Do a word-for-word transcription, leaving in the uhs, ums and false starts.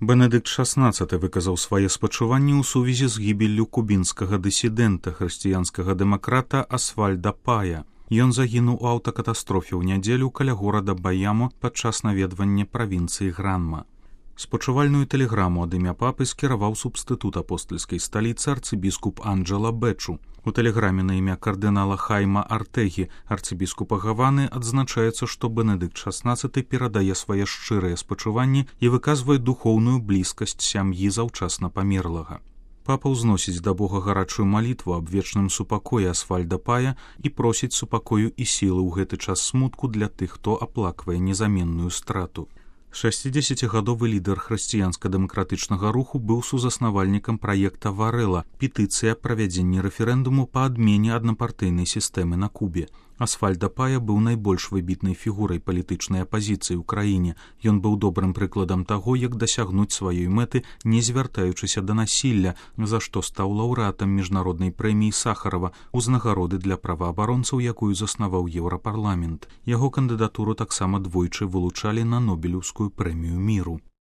Бенедыкт шаснаццаты выказаў свае спачуванні ў сувязі з гібеллю кубінскага дысідэнта, хрысціянскага дэмакрата Асвальда Пая. Ён загінуў у аўтакатастрофе ў нядзелю каля горада Баямо падчас наведвання правінцыі Гранма. Спачувальную тэлеграму ад імя папы скіраваў субстытут апостальскай сталіцы арцыбіскуп Анджела Бэчу. У тэлеграме на імя кардынала Хайма Артегі, арцыбіскупа Гаваны, адзначаецца, што Бенедыкт шаснаццаты перадае свае шчырыя спачуванні і выказвае духоўную блізкасць сям'і заўчасна памерлага. Папа ўзносіць да Бога гарачую малітву аб вечным супакоі Асвальда Пая і просіць супакою і сілы ў гэты час смутку для тых, хто аплаквае незаменную страту. шэсцідзесяцігадовы лідар хрысціянска-дэмакратычнага руху быў сузаснавальнікам праекта Варэла, петыцыя аб правядзенні рэферэндуму па адмене аднапартыйнай сістэмы на Кубе. Асвальда Пая быў найбольш выбітнай фігурай палітычнай апазіцыі ў краіне. Ён быў добрым прыкладам таго, як дасягнуць сваёй мэты, не звяртаючыся да насілля, за што стаў лаўрэатам міжнароднай прэміі Сахарова, узнагароды для праваабаронцаў, якую заснаваў Еўрапарламент. Яго кандыдатуру таксама двойчы вылучалі на Нобелеўскую прэмію міру.